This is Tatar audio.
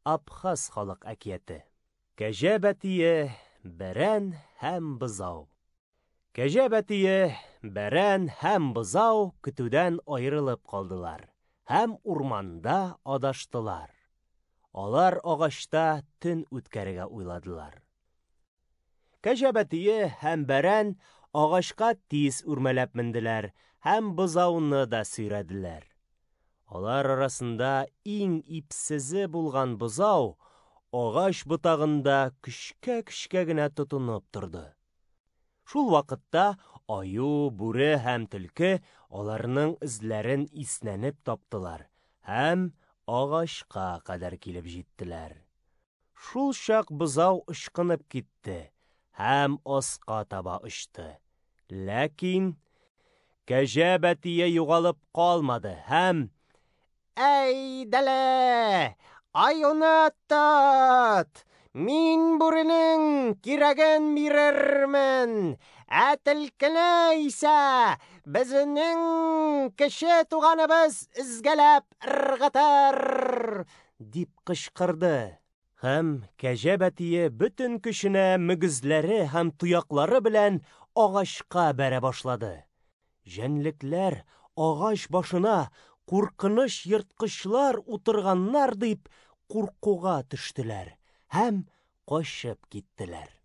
Абхаз халык әкияте. Кәҗә бәтие, бәрән һәм бозау. Кәҗә бәтие, бәрән һәм бозау көтүдән аерылып калдылар һәм урманда адаштылар. Алар агачта төн үткәрергә уйладылар. Кәҗә бәтие һәм бәрән агачка тиз үрмәләп менделәр һәм бозауны да сөйрәделәр. Алар арасында иң ипсезе булган бозау агач ботагында көчкә-көчкә генә тотынып торды. Шул вакытта аю, бүре һәм төлке аларның эзләрен иснәнеп таптылар һәм агачка кадәр килеп җиттеләр. Шул чак бозау ычкынып китте һәм аска таба очты. Ләкин кәҗә бәтие югалып калмады һәм Әйдәле, аюны тот! Мин бүренең кирәген бирермен, ә төлкене исә безнең кече туганыбыз өзгәләп ыргытыр! Дип кычкырды. Һәм кәҗә бәтие бөтен көченә мөгезләре һәм тояклары белән агачка бәрә башлады. Җәнлекләр агач башына куркыныч ерткычлар утырганнар дип куркуга төштеләр һәм качып киттеләр.